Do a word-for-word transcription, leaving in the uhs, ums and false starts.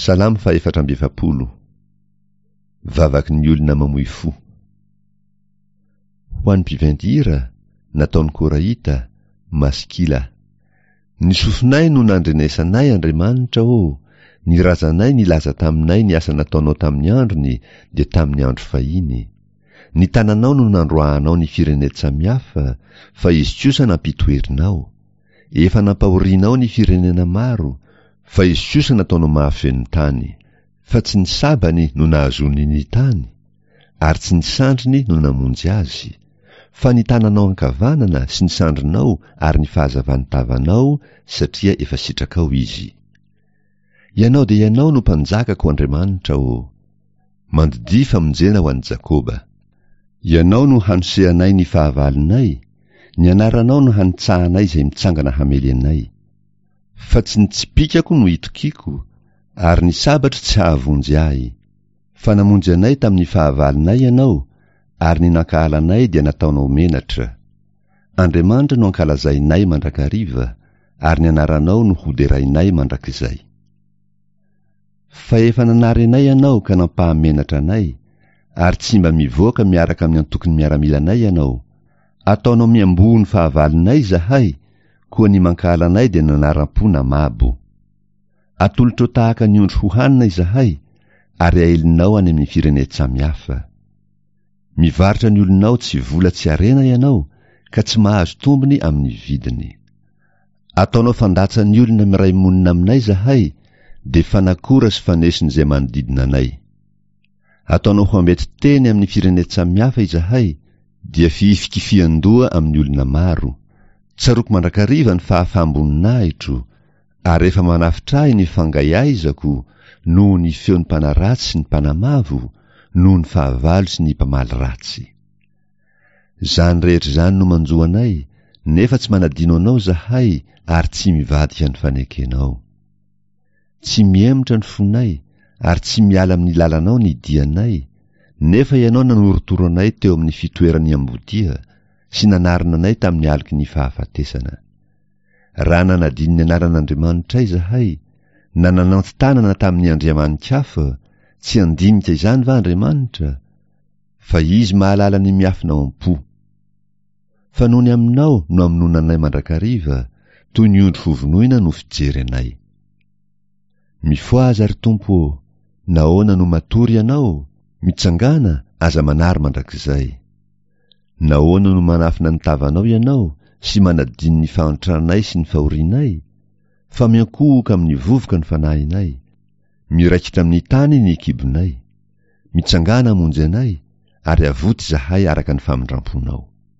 Salamo fahefatra amby efapolo. Vavaky ny olona mamoy fo. Ho an'ny mpiventy hira, nataon'i Korahita, Maskila. Ny sofinay no nandrenesanay, Andriamanitra ô, ny razanay nilaza taminay ny asa nataonao tamin'ny androny, dia tamin'ny andro fahiny. Ny tananao no nandroahanao ny firenen-tsamihafa, fa izy kosa nampitoherinao. Efa nampahorianao ny firenena maro, fa izy kosa nataonao mahafeno tany. Fa tsy ny sabany no nahazoany ny tany, ary tsy ny sandriny no namonjy azy, fa ny tananao ankavanana sy ny sandrinao ary ny fahazavan'ny tavanao, satria efa sitrakao izy. Ianao dia ianao no mpanjakako, Andriamanitra ô. Mandidia famonjena ho an'i Jakoba. Ianao no hanosehanay ny fahavalonay, ny anaranao no hanitsahanay izay mitsangana hamely anay. Fa tsy ny tsipìkako no itokiako, ary ny sabatro tsy hahavonjy ahy. Fa namonjy anay tamin'ny fahavalonay ianao, ary ny nankahalanay dia nataonao menatra. Andriamanitra no ankalazainay mandrakariva, ary ny anaranao no hoderainay mandrakizay. Fa efa nanary anay ianao ka nampahamenatra anay, ary tsy mba mivoaka miaraka amin'ny antokon'ny miaramilanay ianao. Ataonao miamboho ny fahavalonay izahay, koa ny mankahala anay dia nanaram-po namabo. Atolotrao tahaka ny ondry hohanina izahay, ary aelinao any amin'ny firenen-tsamihafa. Mivarotra ny olonao tsy vola tsy harena ianao, ka tsy mahazo tombony amin'ny vidiny. Ataonao fandatsan'ny olona miray monina aminay izahay, dia fanakora sy fanesin'izay manodidina anay. Ataonao ho ambety teny amin'ny firenen-tsamihafa izahay, dia fihifikifihan-doha amin'ny olona maro. Tsaroako mandrakariva ny fahafaham-boninahitro, ary efa manafotra ahy ny fangaihaizako noho ny feon'ny mpanaratsy sy ny mpanamavo, noho ny fahavalo sy ny mpamaly ratsy. Izany rehetra izany no manjo anay, nefa tsy manadino anao izahay ary tsy mivadika ny fanekenao. Tsy mihemotra ny fonay ary tsy miala amin'ny lalanao ny dianay, nefa ianao nanorotoro anay teo amin'ny fitoeran'ny ambodia sy nanarona anay tamin'ny aloky ny fahafatesana. Raha nanadino ny anaran'Andriamanitray izahay, na nananty-tanana tamin'ny andriamani-kafa, tsy handinika izany va Andriamanitra? Fa izy mahalala ny miafina ao am-po. Fa noho ny aminao no amonoana anay mandrakariva, toy ny ondry hovonoina no fijery anay. Mifohaza, ry Tompo ô, nahoana no matory ianao? Mitsangàna, aza manary mandrakizay. Nahoana no manafina ny tavanao ianao sy manadino ny fahantranay sy ny fahorianay? Fa miankohoka amin'ny vovoka ny fanahinay. Miraikitra amin'ny tany ny kibonay. Mitsangàna hamonjy anay, ary avoty izahay araka ny famindram-ponao.